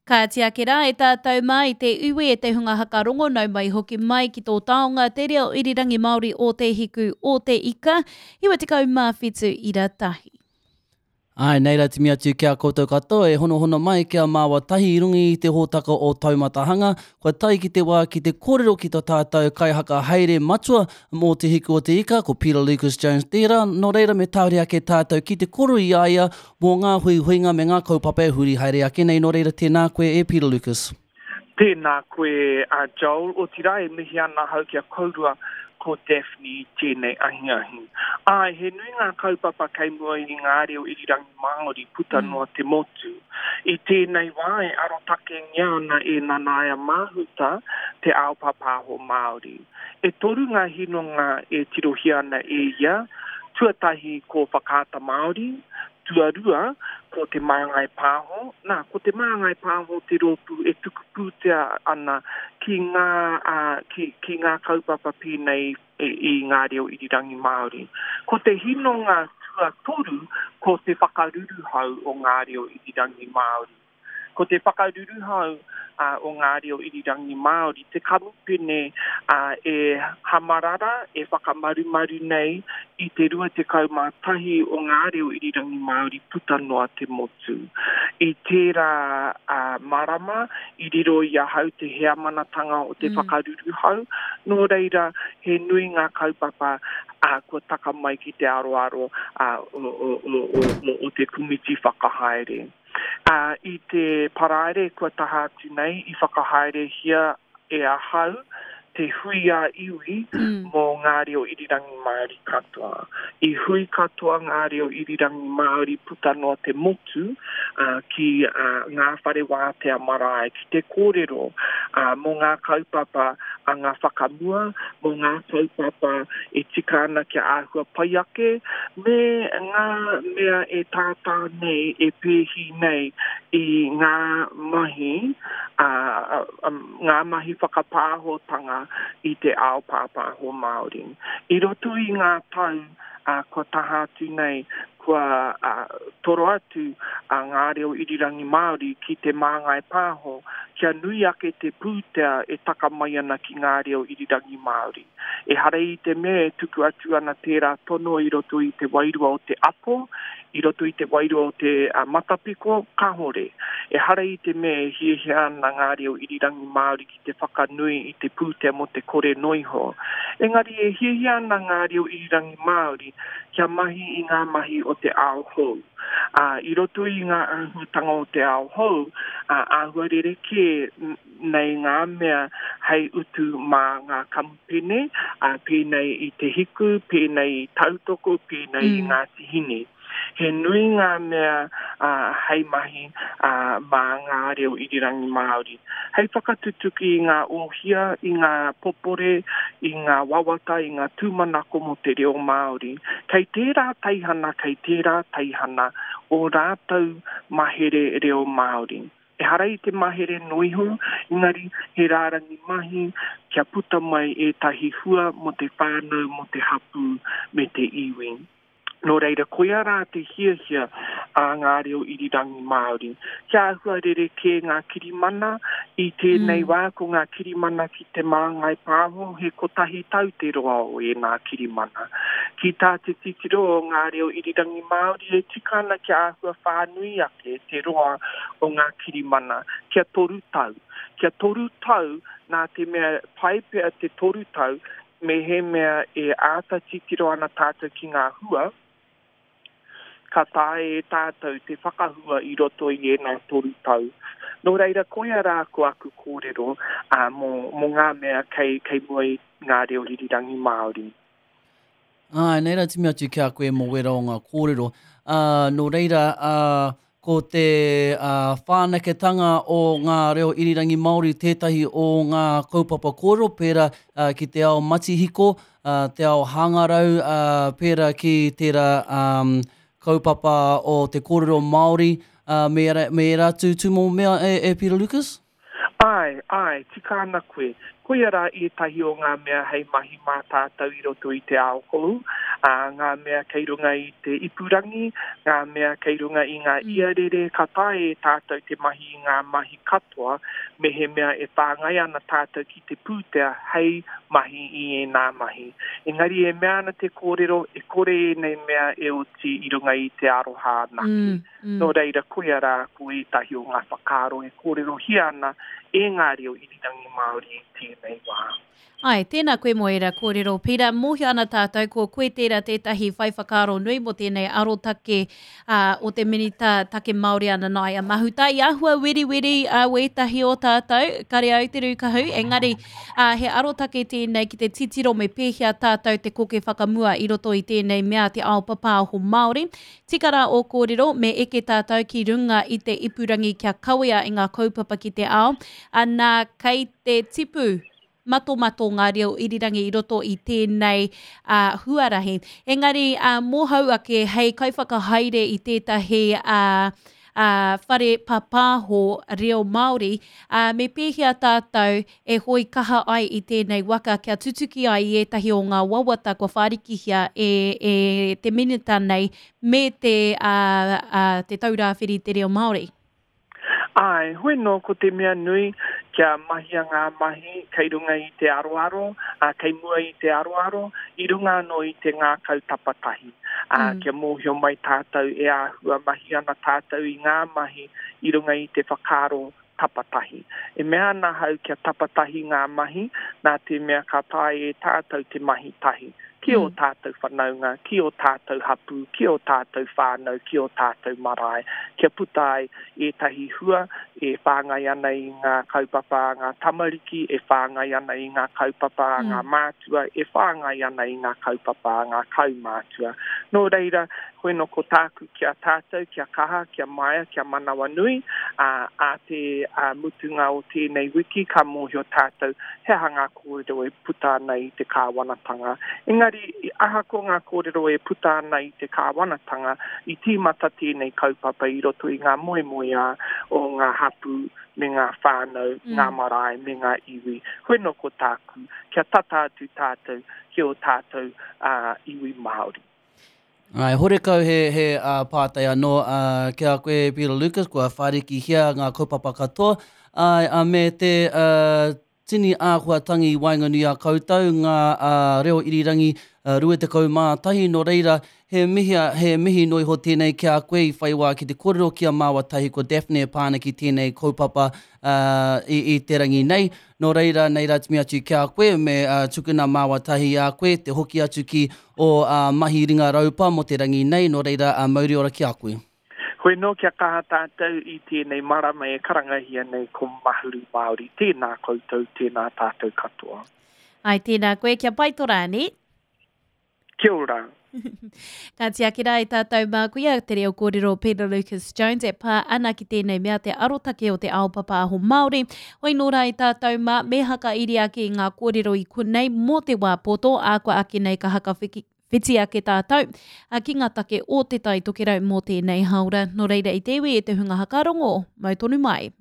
Kāti ake rā e tātou mā i te iwi e te hunga haka rongo nau mai hoki mai ki tō taonga te reo irirangi Māori o Te Hiku o Te Ika, 97 ira tahi. Āe, nei rā timi atu ki a koutou katoa e honohono mai ki a māua tahi i runga i te hōtaka o Taumatahanga, kua tae ki te wā ki te kōrero ki to tātou kaihaka haere matua mō Te Hiku o Te Ika, ko Peter Lucas Jones tērā, nō reira me tāore ake tātou ki te kōrero i a ia mō ngā huihuinga me ngā kaupapa e huri haere ake nei, nō reira tēnā koe e Peter Lucas. Tēnā koe a Joel, otirā e mihi ana ahau ki a kourua ko Daphne i tēnei ahiahi. Āe, he nui ngā kaupapa kei mua i ngā reo irirangi Māori puta noa te motu. I tēnei wā e arotakengia ana e Nanaia Mahuta te ao pāpāho Māori. E toru ngā hinonga e tirohia ana e ia, tuatahi ko Whakaata Māori, Tuarua, ko Te Māngai Pāho. Nā, ko Te Māngai Pāho te rōpū e tuku pūtea ana ki ngā, ā, ki, ki ngā kaupapa pēnei i ngā reo irirangi Māori. Ko te hinonga tuatoru, ko te whakaruruhau o ngā reo irirangi Māori. Ko te whakaruruhau o ngā reo irirangi Māori te kamupene e hamarara, e whakamarumaru nei i te 21 o ngā reo irirangi Māori puta noa te motu. I tērā marama i riro i ahau te heamanatanga o te whakaruruhau, nō reira he nui ngā kaupapa kua taka mai ki te aroaro o te komiti whakahaere. Ā, i te Paraire kua taha atu nei i whakahaerehia e ahau te hui ā-iwi mō ngā reo irirangi Māori katoa. I hui katoa ngā reo irirangi Māori puta noa te motu ki ngā whare wātea marae ki te kōrero mō ngā kaupapa anga whakamua, mō ngā kaupapa e tika ana kia āhua pai ake, me ngā mea e tātā nei, e pēhi nei i ngā mahi, ā, ngā mahi whakapāhotanga i te ao pāpāho Māori. I roto i ngā tau kua taha atu nei, kua toro atu a Ngā Reo Irirangi Māori ki Te Māngai Pāho kia nui ake te pūtea e taka mai ana ki ngā reo irirangi Māori. Ehara i te mea e tuku atu ana tērā tono i roto i te wairua o te apo, i roto i te wairua o te matapiko, kāore. Ehara i te mea e hiahia ana ngā reo irirangi Māori ki te whakanui i te pūtea mō te kore noiho. Engari e hiahia ana ngā reo irirangi Māori kia mahi i ngā mahi o te ao hou. Ā, i roto i ngā āhuatanga o te ao hou, ā, āhua rerekē nei ngā mea hei utu mā ngā kamupene, ā, pēnei i Te Hiku, pēnei i Tautoko, pēnei i Ngāti Hine. He nui ngā mea hei mahi mā ngā reo irirangi Māori. Hei whakatutuki i ngā ōhia, i ngā popore, i ngā wawata, i ngā tūmanako mō te reo Māori. Kei tērā teihana, kei tērā teihana ō rātou mahere reo Māori. Ehara i te mahere noa iho, engari he rārangi mahi kia puta mai ētahi hua mō te whānau, mō te hapū me te iwi. Nō reira, koia rā te hiahia a ngā reo irirangi Māori. Kia āhua rerekē ngā kirimana, i tēnei wā ko ngā kirimana ki Te Māngai Pāho he kotahi tau te roa o ēnā kirimana. Ki tā te titiro o ngā reo irirangi Māori e tika ana kia āhua whānui ake te roa o ngā kirimana, kia toru tau. Kia toru tau nā te mea pai pea te toru tau Mehemea e āta titiro ana tātou ki ngā hua, ka taea e tātou te whakahua i roto i ēnā toru tau. Nō reira, koia rā ko aku kōrero mō, mō ngā mea kei, kei mua i ngā reo irirangi Māori. Āe, nei rā timi atu ki a koe mō wērā o ngā kōrero. Ā, nō reira, ā, ko te whanaketanga o ngā reo irirangi Māori tētahi o ngā kaupapa kōrero pērā ki te ao matihiko, te ao hangarau, pērā ki tērā kaupapa o te kōrero Māori me ērā atu tūmomo mea e Peter Lucas? Āe, āe, tika ana koe. Koia rā ētahi o ngā mea hei mahi mā tātou i roto i te ao hou, ā, ngā mea kei runga i te ipurangi, ngā mea kei runga i ngā iarere, ka taea e tātou te mahi i ngā mahi katoa mehemea e whāngai ana tātou ki te pūtea hei mahi i ēnā mahi. Engari e mea ana te kōrero, e kore ēnei mea e oti i runga i te aroha anake. Nō reira, koia rā ko ētahi o ngā whakaaro e kōrerohia ana e ngā reo irirangi Māori i tēnei wā. Āe, tēnā koe mō ērā kōrero, Pita. Mōhio ana tātou ko koe tērā tētahi whai whakaaro nui mō tēnei arotake o te Minita Take Māori a Nanaia Mahuta. I āhua weriweri wētahi o tātou, kare au te rūkahu, engari he arotake tēnei ki te titiro me pēhea tātou te koke whakamua i roto i tēnei mea te ao papāho Māori. Tika rā ō kōrero, me eke tātou ki runga i te ipurangi kia kawea i ngā kaupapa ki te ao, anā, kei te tipu matomato ngā reo irirangi i roto i tēnei huarahi. Engari, mōhou ake hei kaiwhakahaere i tētahi whare pāpāho reo Māori, me pēhea tātou e hoe kaha ai i tēnei waka kia tutuki ai i ētahi o ngā wawata kua whārikihia e, e te Minita nei me te, ā, ā, Te Taurāwhiri i te Reo Māori. Āe, hoi nō ko te mea nui kia mahia ngā mahi kei runga i te aroaro, ā, kei mua i te aroaro, i runga anō i te ngākau tapatahi. Ā, kia mōhio mai tātou e āhua mahi ana tātou i ngā mahi i runga i te whakaaro tapatahi. E mea ana ahau kia tapatahi ngā mahi, nā te mea ka taea e tātou te mahi tahi ki ō tātou whanaunga, ki ō tātou hapū, ki ō tātou whānau, ki ō tātou marae, kia puta ai ētahi hua e whāngai ana i ngā kaupapa a ngā tamariki, e whāngai ana i ngā kaupapa a ngā mātua, e whāngai ana i ngā kaupapa a ngā kaumātua. Nō reira, koino ko tāku ki a tātou, kia kaha, kia maia, kia manawanui, ā, ā te mutunga o tēnei wiki ka mōhio tātou he aha ngā kōrero e puta ana i te kāwanatanga. Engari, ahakoa ngā kōrero e puta ana i te kāwanatanga, i tīmata tēnei kaupapa i roto i ngā moemoeā o ngā hapū me ngā whānau, ngā marae me ngā iwi. Hoi nō ko tāku, kia tata atu tātou ki ō tātou iwi Māori. Āe, horekau he, he pātai anō ki a koe, Peter Lucas, kua whārikihia ngā kaupapa katoa, āe, ā, me te tini āhuatangi i waenganui i a koutou, ngā reo irirangi 21, nō reira, he mihi, he mihi noa iho tēnei ki a koe i whai wā ki te kōrero ki a māua tahi ko Daphne e pā ana ki tēnei kaupapa i, i te rangi nei. Nō reira, nei rā timi atu ki a koe, me tukuna māua tahi i a koe te hoki atu ki ō mahi ringa raupa mō te rangi nei, nō reira, mauri ora ki a koe. Hoi nō kia kaha tātou i tēnei marama e karangahia nei ko Mahuru Māori. Tēnā koutou, tēnā tātou katoa. Ai, tēnā koe, kia pai to rā, nē? Kia ora. Ka tiaki rā i tātou mā kuia te reo kōrero Peter Lucas Jones e pā ana ki tēnei mea te arotake o te ao papāho Māori. Hoi nō rā i tātou mā me hakairi ake i ngā kōrero i konei mō te wā poto, ā kua ake nei ka hakawhiti ake tātou ki ngā take o Te Tai Tokerau mō tēnei hāora. Nō reira i te iwi e te hunga hakarongo, mau tonu mai.